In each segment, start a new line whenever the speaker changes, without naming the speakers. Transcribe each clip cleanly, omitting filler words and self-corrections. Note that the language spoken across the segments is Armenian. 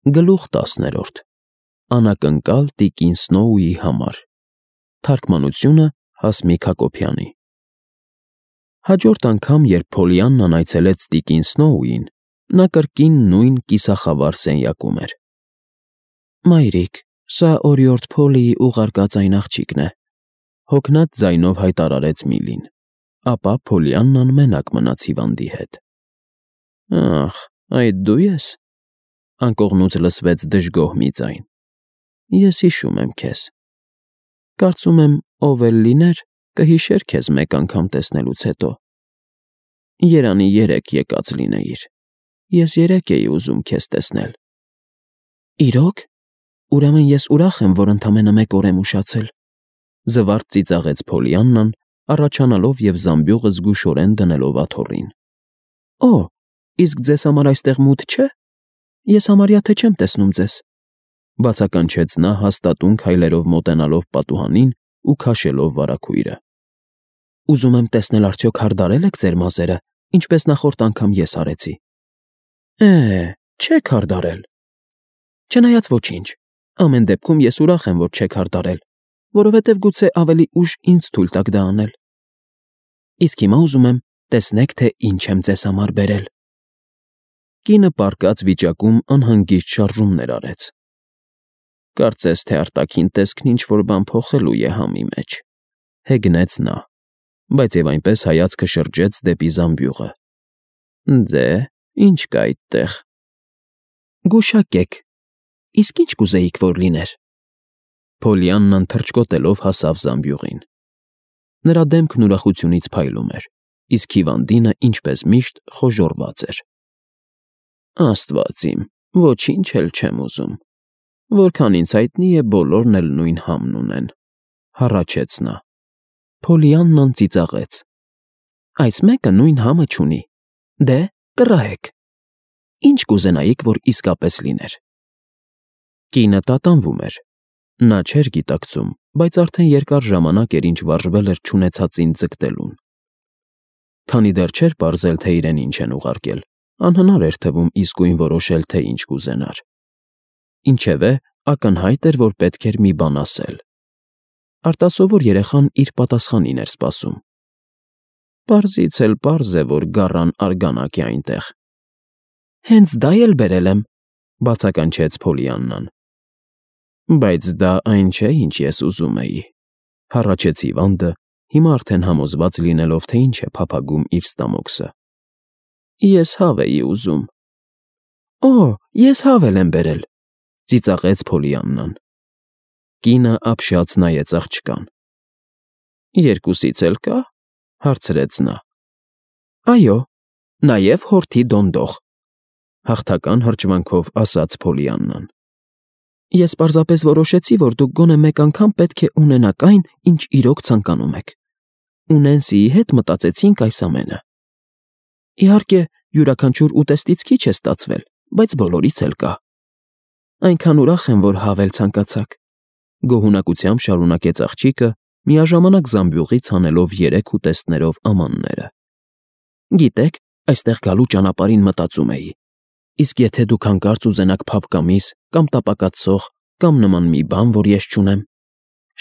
Գլուխ 10. Անակնկալ տիկին Սնոուի համար։ Թարգմանությունը Հասմիկ Հակոբյանի։ Հաջորդ անգամ, երբ Փոլիաննան այցելեց տիկին Սնոուին, նա կրկին նույն կիսախավար սենյակում էր։ Մայրիկ, սա օրիորդ Փոլիի ուղարկած այն աղջիկն է, հոգնած ձայնով հայտարարեց Միլին, ապա Փոլիաննան մենակ մնաց հիվանդի հետ։ Ախ, այդ դու ես։ Անկողնուց լսվեց դժգոհ մի ձայն։ Ես հիշում եմ քեզ։ Կարծում եմ, ով էլ լիներ, կհիշեր քեզ մեկ անգամ տեսնելուց հետո։ Երանի երեկ եկած լինեիր։ Ես երեկ էի ուզում քեզ տեսնել։ Իրոք։ Ուրեմն ես ուրախ եմ, որ ընդամենը մեկ օր եմ ուշացել։ Զվարթ ծիծաղեց Փոլիաննան, առաջանալով և զամբյուղը զգուշորեն դնելով աթոռին։ Օ, իսկ ձեզ համար այստեղ մութ չէ։ Ես համարյա թե չեմ տեսնում ձեզ, բացականչեց նա հաստատուն քայլերով մոտենալով պատուհանին ու քաշելով վարագույրը։ Ուզում եմ տեսնել արդյոք հարդարել եք ձեր մազերը, ինչպես նախորդ անգամ ես արեցի։ Չեք հարդարել։ Չնայած ոչինչ, ամեն դեպքում ես ուրախ եմ, որ չեք հարդարել, որովհետև գուցե ավելի ուշ ինձ թույլ տաք դա անել։ Իսկ հիմա ուզում եմ տեսնեք, թե ինչ եմ ձեզ համար բերել։ Կինը պառկած վիճակում անհանգիստ շարժումներ արեց։ Կարծես թե արտաքին տեսքն ինչ-որ բան փոխելու է համի մեջ, հեգնեց նա, բայց և այնպես հայացքը շրջեց դեպի զամբյուղը։ Դե, ինչ կա այդտեղ։ Գուշակեք, իսկ ինչ կուզեիք, որ լիներ։ Փոլիաննան թռչկոտելով հասավ զամբյուղին։ Նրա դեմքն ուրախությունից փայլում էր, իսկ հիվանդինը, ինչպես միշտ, խոժոռված էր։ Աստված իմ, ոչինչ էլ չեմ ուզում։ Որքան ինձ հայտնի է, բոլորն էլ նույն համն ունեն, հառաչեց նա։ Փոլիաննան ծիծաղեց։ Այս մեկը նույն համը չունի։ Դե, կռահեք։ Ինչ կուզենայիք, որ իսկապես լիներ։ Կինը տատանվում էր։ Նա չէր գիտակցում, բայց արդեն երկար ժամանակ էր, ինչ վարժվել էր չունեցածին ձգտելուն։ Քանի դեռ չէր պարզել, թե իրեն ինչ են ուղարկել, անհնար էր թվում իսկույն որոշել, թե ինչ կուզենար։ Ինչևէ, ակնհայտ էր, որ պետք էր մի բան ասել։ Արտասովոր երեխան իր պատասխանին էր սպասում։ Պարզից էլ պարզ է, որ գառան արգանակ է այնտեղ։ Հենց դա էլ բերել եմ, բացականչեց Փոլիաննան։ Բայց դա այն չէ, ինչ ես ուզում էի, հառաչեց հիվանդը, հիմա արդեն համոզված լինելով, թե ինչ է փափագում իր ստամոքսը։ Ես հավ էի ուզում։ Օ, ես հավ էլ եմ բերել, ծիծաղեց Փոլիաննան։ Կինը ապշած նայեց աղջկան։ Երկուսից էլ կա, հարցրեց նա։ Այո, նաև հորթի դոնդող, հաղթական հրճվանքով ասաց Փոլիաննան։ Ես պարզապես որոշեցի, որ դուք գոնե մեկ անգամ պետք է ունենաք այն, ինչ իրոք ցանկանում եք։ Ու Նենսիի հետ մտածեցինք այս ամենը։ Իհարկե, յուրաքանչյուր ուտեստից քիչ է ստացվել, բայց բոլորից էլ կա։ Այնքան ուրախ եմ, որ հավել ցանկացաք, գոհունակությամբ շարունակեց աղջիկը, միաժամանակ զամբյուղից հանելով 3 ուտեստներով ամանները։ Գիտեք, այստեղ գալու ճանապարհին մտածում էի. իսկ եթե դուք հանկարծ ուզենաք փափկամիս կամ տապակած կամ նման մի բան, որ ես չունեմ,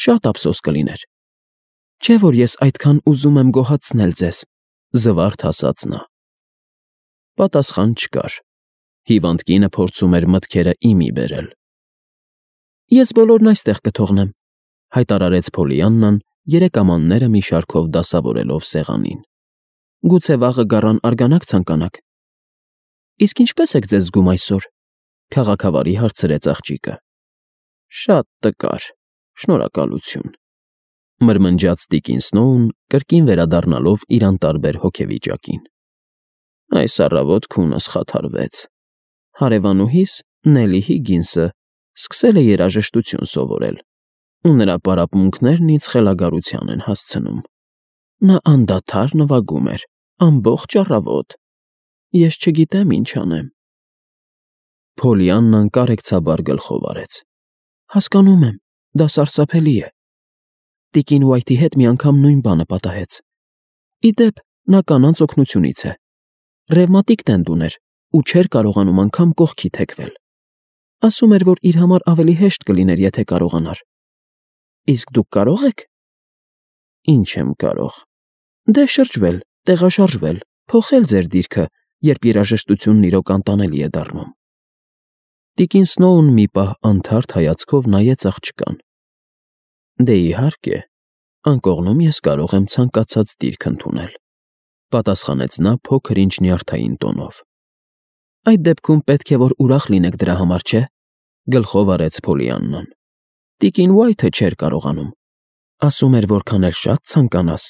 շատ ափսոս կլիներ։ Չէ՞ որ ես այդքան ուզում եմ գոհացնել ձեզ, զվարթ ասաց նա։ Պատասխան չկար։ Հիվանդ կինը փորձում էր մտքերը իմի բերել։ Ես բոլորն այստեղ կթողնեմ, հայտարարեց Փոլիաննան, 3 ամանները մի շարքով դասավորելով սեղանին։ Գուցե վաղը գառան արգանակ ցանկանաք։ Իսկ ինչպե՞ս եք ձեզ զգում այսօր, քաղաքավարի հարցրեց աղջիկը։ Շատ տկար, շնորհակալություն, մրմնջաց տիկին Սնոուն, կրկին վերադառնալով իր անտարբեր հոգեվիճակին։ Այս առավոտ քունս խաթարվեց։ Հարևանուհիս Նելի Հիգինսը սկսել է երաժշտություն սովորել, ու նրա պարապմունքներն ինձ խելագարության են հասցնում։ Նա անդադար նվագում էր, ամբողջ առավոտ։ Ես չգիտեմ ինչ անեմ։ Փոլիաննան կարեկցաբար գլխով արեց։ Հասկանում եմ, դա սարսափելի է։ Տիկին Ուայթի հետ մի անգամ նույն բանը պատահեց։ Ի դեպ, նա կանանց օգնությունից է։ Ռևմատիկ տենդ ուներ ու չէր կարողանում անգամ կողքի թեքվել։ Ասում էր, որ իր համար ավելի հեշտ կլիներ, եթե կարողանար։ Իսկ դուք կարող եք։ Ինչ եմ կարող։ Դե շրջվել, տեղաշարժվել, փոխել ձեր դիրքը, երբ երաժշտությունն իրոք անտանելի է դառնում։ Տիկին Սնոուն մի պահ անթարթ հայացքով նայեց աղջկան։ Դե իհարկե, անկողնում ես կարող եմ ցանկացած դիրք ընդունել, պատասխանեց նա փոքր-ինչ նյարդային տոնով։ Այդ դեպքում պետք է որ ուրախ լինեք դրա համար, չէ՞, գլխով արեց Փոլիաննան։ Տիկին Ուայթը չէր կարողանում։ Ասում էր, որքան էլ շատ ցանկանաս,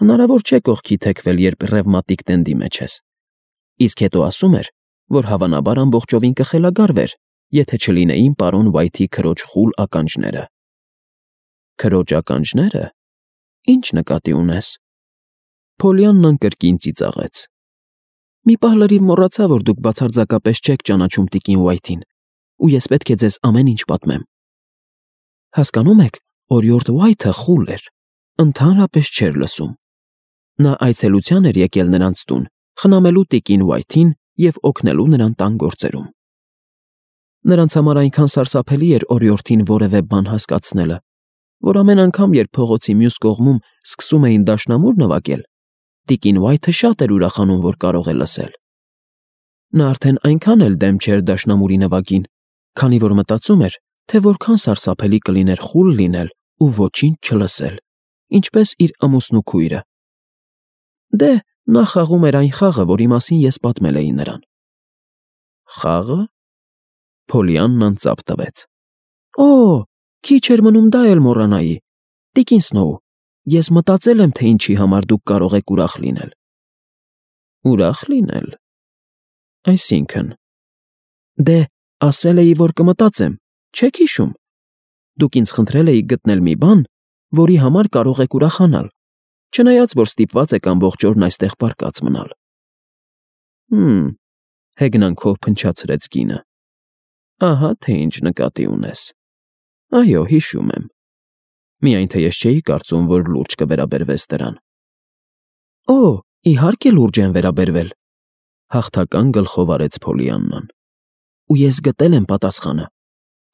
հնարավոր չէ կողքի թեքվել, երբ ռևմատիկ տենդի մեջ ես։ Իսկ հետո ասում էր, որ հավանաբար ամբողջովին կխելագարվեր, եթե չլինեին պարոն Ուայթի քրոջ խուլ ականջները։ Քրոջ ականջները։ Ինչ նկատի ունես։ Փոլիաննան կրկին ծիծաղեց։ Մի պահ լրիվ մոռացա, որ դուք բացարձակապես չեք ճանաչում տիկին Ուայթին, ու ես պետք է ձեզ ամեն ինչ պատմեմ։ Հասկանում եք, օրիորդ Ուայթը խուլ էր, ընդհանրապես չէր լսում։ Նա այցելության էր եկել նրանց տուն, խնամելու տիկին Ուայթին և օգնելու նրան տան գործերում։ Նրանց համար այնքան սարսափելի էր օրիորդին որևէ բան հասկացնելը, որ ամեն անգամ, երբ փողոցի մյուս կողմում սկսում էին դաշնամուր նվագել, տիկին Ուայթը շատ էր ուրախանում, որ կարող է լսել։ Նա արդեն այնքան էլ դեմ չէր դաշնամուրի նվագին, քանի որ մտածում էր, թե որքան սարսափելի կլիներ խուլ լինել ու ոչինչ չլսել, ինչպես իր ամուսնու քույրը։ Դե, նա խաղում էր այն խաղը, որի մասին ես պատմել էի նրան։ Խաղը։ Փոլիաննան ծափ տվեց։ Օ, քիչ էր մնում դա էլ մոռանայի։ Տիկին Սնոու, ես մտածել եմ, թե ինչի համար դուք կարող եք ուրախ լինել։ Ուրախ լինել։ Այսինքն։ Դե, ասել էի, որ կմտածեմ, չեք հիշում։ Դուք ինձ խնդրել էիք գտնել մի բան, որի համար կարող եք ուրախանալ, չնայած որ ստիպված եք ամբողջ օրն այստեղ պառկած մնալ։ Հեգնանքով փնչացրեց կինը։ Ահա թե ինչ նկատի ունես։ Այո, հիշում եմ։ Միայն թե ես չէի կարծում, որ լուրջ կվերաբերվես դրան։ Օ, իհարկե լուրջ եմ վերաբերվել, հաղթական գլխով արեց Փոլիաննան։ Ու ես գտել եմ պատասխանը,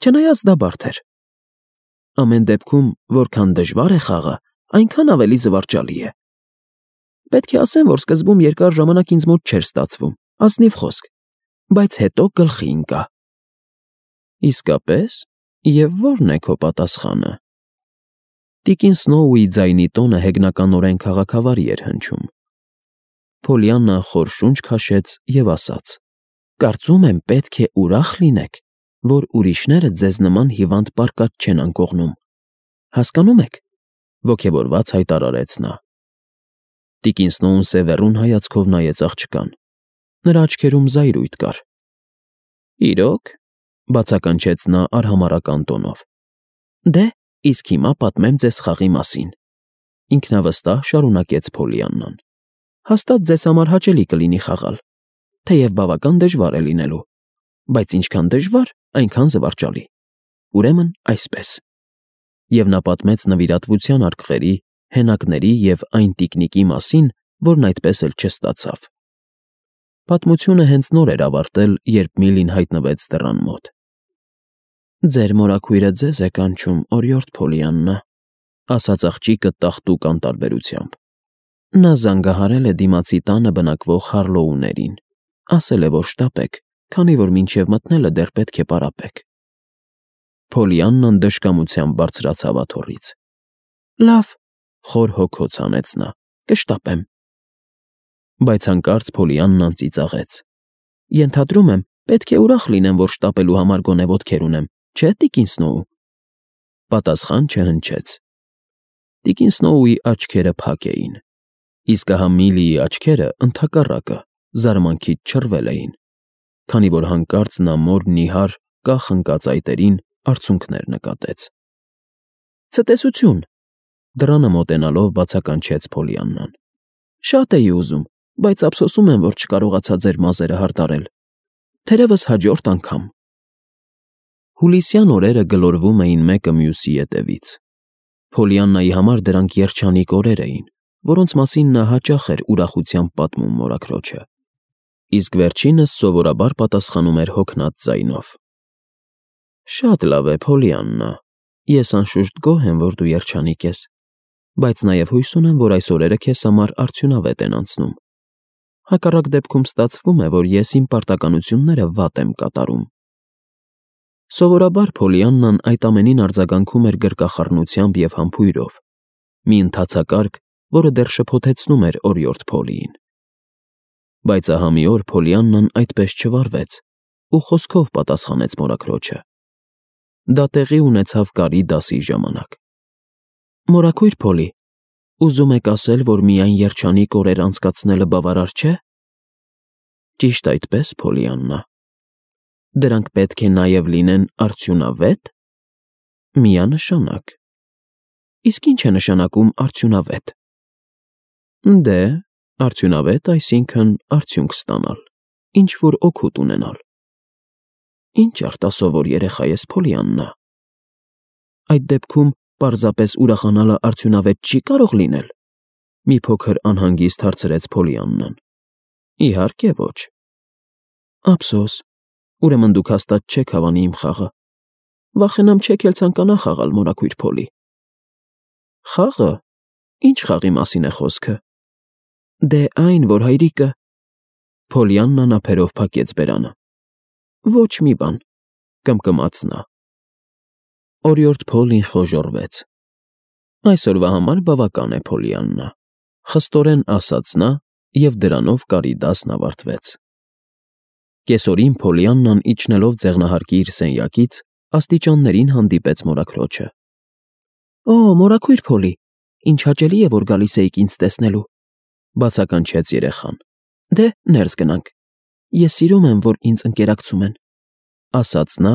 չնայած դա բարդ էր։ Ամեն դեպքում, որքան դժվար է խաղը, այնքան ավելի զվարճալի է։ Պետք է ասեմ, որ սկզբում երկար ժամանակ ինձ մոտ չէր ստացվում, ազնիվ խոսք, բայց հետո գլխի ընկա։ Իսկապես, և ո՞րն է քո պատասխանը։ Տիկին Սնոուի ձայնի տոնը հեգնականորեն քաղաքավարի էր հնչում։ Փոլիաննան խոր շունչ քաշեց և ասաց. Կարծում եմ, պետք է ուրախ լինեք, որ ուրիշները ձեզ նման հիվանդ պարկած չեն անկողնում։ Հասկանում եք, ոգևորված հայտարարեց նա։ Տիկին Սնոուն սևեռուն հայացքով նայեց աղջկան։ Նրա աչքերում զայրույթ կար։ Իրոք, բացականչեց նա արհամարհական տոնով։ Դե, իսկ հիմա պատմեմ ձեզ խաղի մասին։ Ինքնավստահ շարունակեց Փոլիաննան։ Հաստատ ձեզ համար հաճելի կլինի խաղալ, թեև բավական դժվար է լինելու, բայց ինչքան դժվար, այնքան զվարճալի։ Ուրեմն այսպես։ Եվ նա պատմեց նվիրատվության արկղերի, հենակների և այն տիկնիկի մասին, որն այդպես էլ չստացավ։ Պատմությունը հենց նոր էր ավարտել, երբ Միլին հայտնվեց դռան մոտ։ Ձեր մորաքույրը ձեզ է կանչում, օրիորդ Փոլիաննա, ասաց աղջիկը տաղտուկ անտարբերությամբ։ Նա զանգահարել է դիմացի տանը բնակվող Հարլոուներին, ասել է, որ շտապեք, քանի որ մինչև մտնելը դեռ պետք է պարապեք։ Փոլիաննան դժկամությամբ բարձրացավ աթոռից։ Լավ, խոր հոգոց հանեց նա, կշտապեմ։ Բայց հանկարծ Փոլիաննան ծիծաղեց։ Ենթադրում եմ, պետք է ուրախ լինեմ, որ շտապելու համար գոնե ոտքեր ունեմ, չէ՞ տիկին Սնոու։ Պատասխան չհնչեց։ Տիկին Սնոուի աչքերը փակ էին, իսկ ահա Միլիի աչքերը ընդհակառակը զարմանքից չռվել էին, քանի որ հանկարծ նա մոր նիհար կախ ընկած այտերին արցունքներ նկատեց։ Ցտեսություն, դռանը մոտենալով բացականչեց Փոլիաննան։ Շատ էի ուզում, բայց ափսոսում եմ, որ չկարողացա ձեր մազերը հարդարել։ Թերևս հաջորդ անգամ։ Հուլիսյան օրերը գլորվում էին մեկը մյուսի ետևից։ Փոլիաննայի համար դրանք երջանիկ օրեր էին, որոնց մասին նա հաճախ էր ուրախությամբ պատմում մորաքրոջը, իսկ վերջինս սովորաբար պատասխանում էր հոգնած ձայնով։ Շատ լավ է, Փոլիաննա։ Ես անշուշտ գոհ եմ, որ դու երջանիկ ես, բայց նաև հույս ունեմ, որ այս օրերը քեզ համար արդյունավետ են անցնում։ Հակառակ դեպքում ստացվում է, որ ես իմ պարտականությունները վատ եմ կատարում։ Սովորաբար Փոլիաննան այդ ամենին արձագանքում էր գրկախառնությամբ և համբույրով, մի ընթացակարգ, որը դեռ շփոթեցնում էր օրիորդ Փոլիին։ Բայց ահա մի օր Փոլիաննան այդպես չվարվեց ու խոսքով պատասխանեց մորաքրոջը։ Դա տեղի ունեցավ կարի դասի ժամանակ։ Մորաքույր Փոլի, ուզում եք ասել, որ միայն երջանիկ օրեր անցկացնելը բավարար չէ։ Ճիշտ այդպես, Փոլիաննա։ Դրանք պետք է նաև լինեն արդյունավետ։ Միանշանակ։ Իսկ ինչ է նշանակում արդյունավետ։ Դե, արդյունավետ, այսինքն արդյունք ստանալ, ինչ-որ օգուտ ունենալ։ Ինչ արտասովոր երեխա ես, Փոլիաննա։ Այդ դեպքում պարզապես ուրախանալը արդյունավետ չի կարող լինել։ Մի փոքր անհանգիստ հարցրեց Փոլիաննան։ Իհարկե ոչ։ Ափսոս, ուրեմն դուք հաստատ չեք հավանի իմ խաղը։ Վախենամ չեք էլ ցանկանա խաղալ, մորաքույր Փոլի։ Խաղը։ Ինչ խաղի մասին է խոսքը։ Դե այն, որ հայրիկը… Փոլիաննան ափերով փակեց բերանը։ Ոչ մի բան, կմկմաց նա։ Օրիորդ Փոլին խոժոռվեց։ Այսօրվա համար բավական է, Փոլիաննա, խստորեն ասաց նա, և դրանով կարի դասն ավարտվեց։ Կեսօրին Փոլիաննան իջնելով ձեղնահարկի իր սենյակից, աստիճաններին հանդիպեց մորաքրոջը։ Օ, մորաքույր Փոլի, ինչ հաճելի է, որ գալիս էիք ինձ տեսնելու, բացականչեց երեխան։ Դե, ներս գնանք։ Ես սիրում եմ, որ ինձ ընկերակցում են, ասաց նա,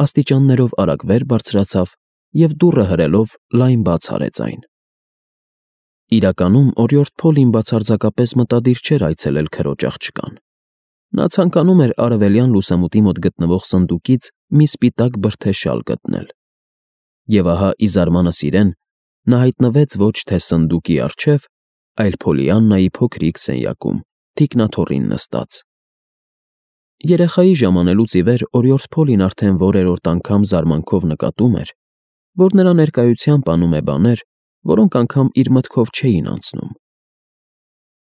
աստիճաններով արագ վեր բարձրացավ և դուռը հրելով լայն բաց արեց այն։ Իրականում օրիորդ Փոլին բացարձակապես մտադիր չէր այցելել քրոջ աղջկան։ Նա ցանկանում էր արևելյան լուսամուտի մոտ գտնվող սնդուկից մի սպիտակ բրդե շալ գտնել։ Եվ ահա, ի զարմանս իրեն, նա հայտնվեց ոչ թե սնդուկի առջև, այլ Փոլիաննայի փոքրիկ սենյակում, թիկնաթոռին նստած։ Երեխայի ժամանելուց ի վեր օրիորդ Փոլին արդեն որերորդ անգամ զարմանքով նկատում էր, որ նրա ներկայությամբ անում է բաներ, որոնք անգամ իր մտքով չէին անցնում։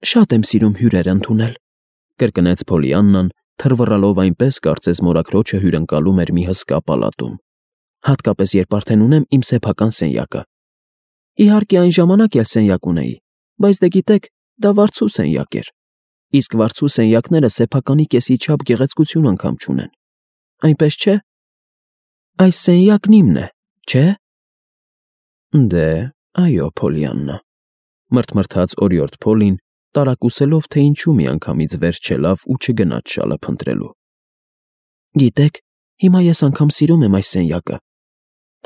Շատ եմ սիրում հյուրեր ընդունել, կրկնեց Փոլիաննան, թռվռալով այնպես, կարծես մորաքրոջը հյուրընկալում էր մի հսկա պալատում, հատկապես երբ արդեն ունեմ իմ սեփական սենյակը։ Իհարկե այն ժամանակ էլ սենյակ ունեի, բայց դե գիտեք, դա վարձու սենյակ էր, իսկ վարձու սենյակները սեփականի կեսի չափ գեղեցկություն անգամ չունեն։ Այնպես չէ։ Այս սենյակն իմն է, չէ։ Դե, այո, Փոլիաննա, մրթմրթաց օրիորդ Փոլին, տարակուսելով, թե ինչու միանգամից վեր չելավ ու չգնաց շալը փնտրելու։ Գիտեք, հիմա ես անգամ սիրում եմ այս սենյակը,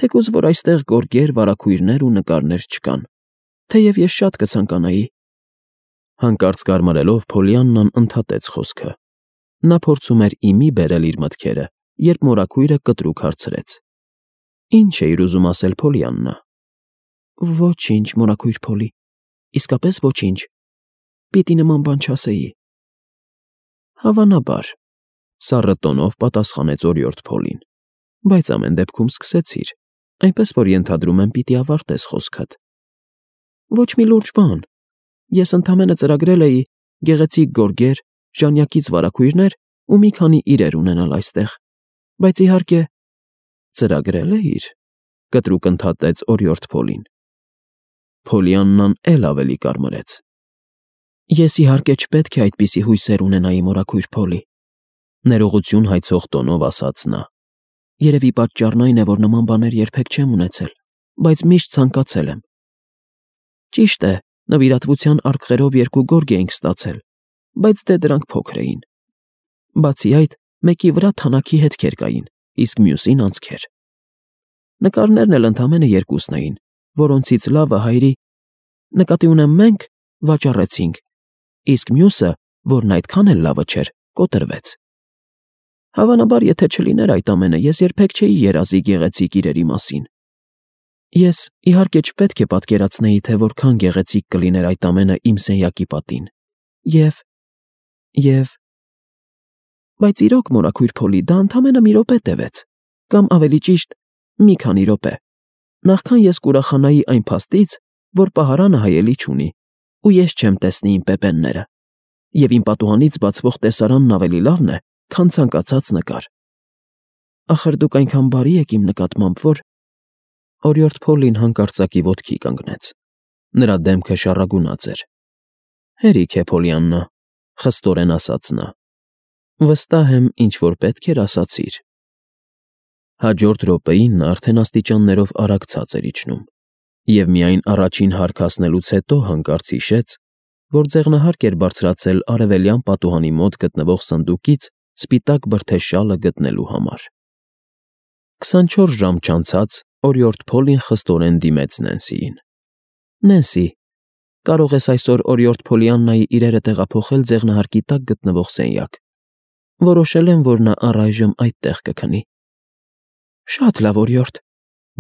թեկուզ որ այստեղ գորգեր, վարագույրներ ու նկարներ չկան, թեև ես շատ կցանկանայի։ Հանկարծ կարմարելով Փոլիաննան ընդհատեց խոսքը։ Նա փորձում էր իմի բերել իր մտքերը, երբ մորաքույրը կտրուկ հարցրեց. Ինչ էիր ուզում ասել, Փոլիաննա։ Ոչինչ, մորաքույր Փոլի, իսկապես ոչինչ։ Պիտի նման բան չասեի։ Հավանաբար, սառը տոնով պատասխանեց օրիորդ Փոլին, բայց ամեն դեպքում սկսեցիր, այնպես որ ենթադրում եմ պիտի ավարտես խոսքդ։ Ոչ մի լուրջ բան։ Ես ընդամենը ծրագրել էի գեղեցիկ գորգեր, ժանյակից վարագույրներ ու մի քանի իրեր ունենալ այստեղ, բայց իհարկե… Ծրագրել էիր, կտրուկ ընդհատեց օրիորդ Փոլին։ Փոլիաննան էլ ավելի կարմրեց։ Ես իհարկե չպետք է այդպիսի հույսեր ունենայի, մորաքույր Փոլի, ներողություն հայցող տոնով ասաց նա։ Երևի պատճառն այն է, որ նման բաներ երբեք չեմ ունեցել, բայց միշտ ցանկացել եմ։ Ճիշտ է, նվիրատվության արկղերով 2 գորգ էինք ստացել, բայց դե դրանք փոքր էին։ Բացի այդ, մեկի վրա թանաքի հետքեր կային, իսկ մյուսին անցքեր։ Նկարներն էլ ընդամենը 2-ն էին, որոնցից լավը հայրի… Նկատի ունեմ մենք վաճառեցինք, իսկ մյուսը, որն այդքան էլ լավը չէր, կոտրվեց։ Հավանաբար, եթե չլիներ այդ ամենը, ես երբեք չէի երազի գեղեցիկ իրերի մասին։ Ես, իհարկե, չպետք է պատկերացնեի, թե որքան գեղեցիկ կլիներ այդ ամենը իմ սենյակի պատին։ Եվ… Բայց իրոք, մորաքույր Փոլի, դա ընդամենը մի րոպե տևեց։ Կամ ավելի ճիշտ, մի քանի րոպե, նախքան ես կուրախանայի այն փաստից, որ պահարանը հայելի չունի, ու ես չեմ տեսնի իմ պեպենները, և իմ պատուհանից բացվող տեսարանն ավելի լավն է, քան ցանկացած նկար։ Ախր դուք այնքան բարի եք իմ նկատմամբ, որ… Օրիորդ Փոլին հանկարծակի ոտքի կանգնեց։ Նրա դեմքը շառագունած էր։ Հերիք է, Փոլիաննա, խստորեն ասաց նա։ Վստահ եմ, ինչ-որ պետք էր ասացիր։ Հաջորդ րոպեին նա արդեն աստիճաններով արագ ցած էր իջնում, և միայն առաջին հարկ հասնելուց հետո հանկարծ հիշեց, որ ձեղնահարկ էր բարձրացել արևելյան պատուհանի մոտ գտնվող սնդուկից սպիտակ բրդե շալը գտնելու համար։ 24 ժամ չանցած օրիորդ Փոլին խստորեն դիմեց Նենսիին։ Նենսի, կարող ես այսօր օրիորդ Փոլիաննայի իրերը տեղափոխել ձեղնահարկի տակ գտնվող սենյակ։ Որոշել եմ, որ նա առայժմ այդտեղ կքնի։ Շատ լավ, օրիորդ,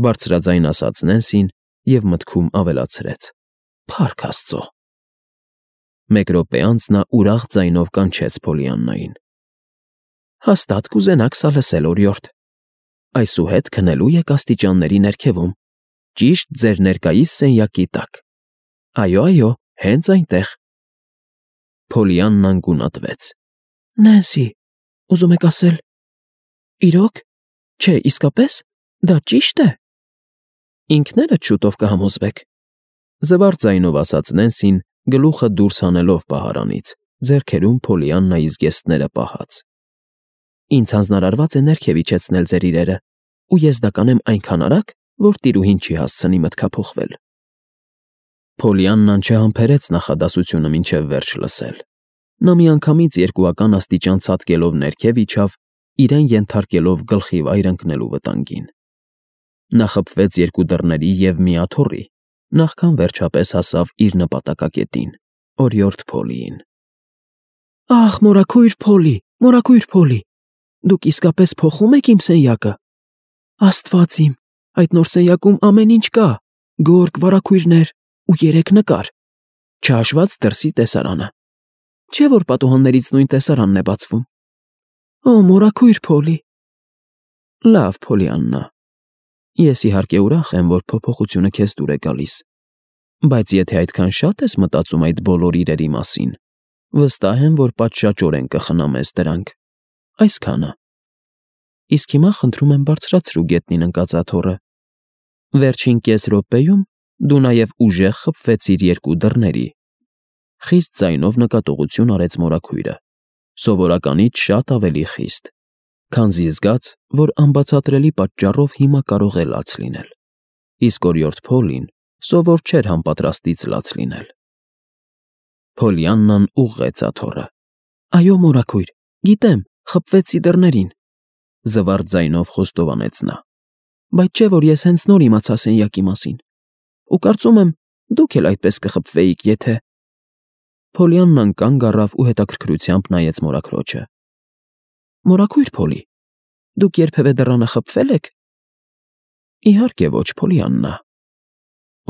բարձրաձայն ասաց Նենսին և մտքում ավելացրեց. Փառք Աստծո։ Մեկ րոպե անց նա ուրախ ձայնով կանչեց Փոլիաննային։ Հաստատ կուզենաք սա լսել, օրիորդ։ Այսուհետ քնելու եք աստիճանների ներքևում, ճիշտ ձեր ներկայիս սենյակի տակ։ Այո, հենց այնտեղ։ Փոլիաննան գունատվեց։ Նենսի, ուզում եք ասել… Իրոք… Չէ, իսկապես… Դա ճի՞շտ է… Ինքներդ շուտով կհամոզվեք, զվարթ ձայնով ասաց Նենսին, գլուխը դուրս հանելով պահարանից, ձեռքերում Փոլիաննայի զգեստները պահած։ Ինձ հանձնարարված է ներքև իջեցնել ձեր իրերը, ու ես դա կանեմ այնքան արագ, որ տիրուհին չի հասցնի մտքափոխվել։ Փոլիաննան չհամբերեց նախադասությունը մինչև վերջ լսել։ Նա միանգամից երկուական աստիճան ցատկելով ներքև իջավ, իրեն ենթարկելով գլխի վայր ընկնելու վտանգին։ Նա խփվեց երկու դռների և մի աթոռի, նախքան վերջապես հասավ իր նպատակակետին՝ օրիորդ Փոլիին։ Ախ, մորաքույր Փոլի, դուք իսկապես փոխում եք իմ սենյակը… Աստված իմ, այդ նոր սենյակում ամեն ինչ կա՝ գորգ, վարագույրներ ու 3 նկար, չհաշված դրսի տեսարանը։ Չէ՞ որ պատուհաններից նույն տեսարանն է բացվում։ Օ, մորաքույր Փոլի… Լավ, Փոլիաննա, ես իհարկե ուրախ եմ, որ փոփոխությունը քեզ դուր է գալիս, բայց եթե այդքան շատ ես մտածում այդ բոլոր իրերի մասին, վստահ եմ, որ պատշաճորեն կխնամես դրանք։ Այսքանը։ Իսկ հիմա խնդրում եմ բարձրացրու գետնին ընկած աթոռը։ Վերջին կես րոպեում դու նաև ուժեղ խփվեցիր երկու դռների։ Խիստ ձայնով նկատողություն արեց մորաքույրը, սովորականից շատ ավելի խիստ, քանզի զգաց, որ անբացատրելի պատճառով հիմա կարող է լաց լինել, իսկ օրիորդ Փոլին սովոր չէր համապատրաստից լաց լինել։ Փոլիաննան ուղղեց աթոռը։ Այո, մորաքույր, գիտեմ, խփվեցի դռներին, զվարթ ձայնով խոստովանեց նա, բայց չէ՞ որ ես հենց նոր իմացա սենյակի մասին, ու կարծում եմ, դուք էլ այդպես կխփվեիք, եթե… Փոլիաննան կանգ առավ ու հետաքրքրությամբ նայեց մորաքրոջը։ Մորաքույր Փոլի, դուք երբևէ դռանը խփվե՞լ եք։ Իհարկե ոչ, Փոլիաննա։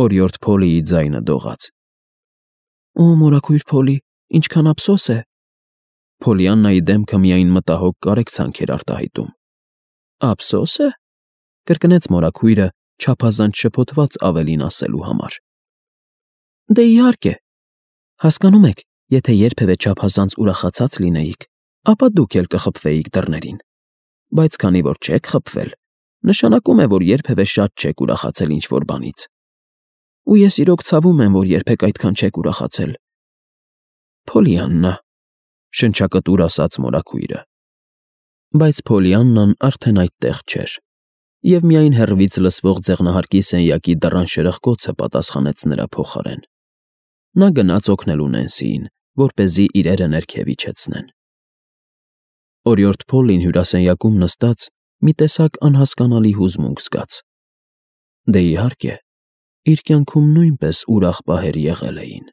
Օրիորդ Փոլիի ձայնը դողաց։ Օ, մորաքույր Փոլի, ինչքան ափսոս է։ Փոլիաննայի դեմքը միայն մտահոգ կարեկցանք էր արտահայտում։ Ափսո՞ս է, կրկնեց մորաքույրը, չափազանց շփոթված ավելին ասելու համար։ Դե իհարկե։ Հասկանում եք, եթե երբևէ չափազանց ուրախացած լինեիք, ապա դուք էլ կխփվեիք դռներին, բայց քանի որ չեք խփվել, նշանակում է, որ երբևէ շատ չեք ուրախացել ինչ-որ բանից։ Ու ես իրոք ցավում եմ, որ երբեք այդքան չեք ուրախացել։ Փոլիաննա, շնչակտուր ասաց մորաքույրը։ Բայց Փոլիաննան արդեն այդտեղ չէր, և միայն հեռվից լսվող ձեղնահարկի սենյակի դռան շրխկոցը պատասխանեց նրա փոխարեն։ Նա գնաց օգնելու Նենսիին, որպեսզի իրերը ներքև իջեցնեն։ Օրիորդ Փոլին հյուրասենյակում նստած մի տեսակ անհասկանալի հուզմունք զգաց։ Դե իհարկե, իր կյանքում նույնպես ուրախ պահեր եղել էին։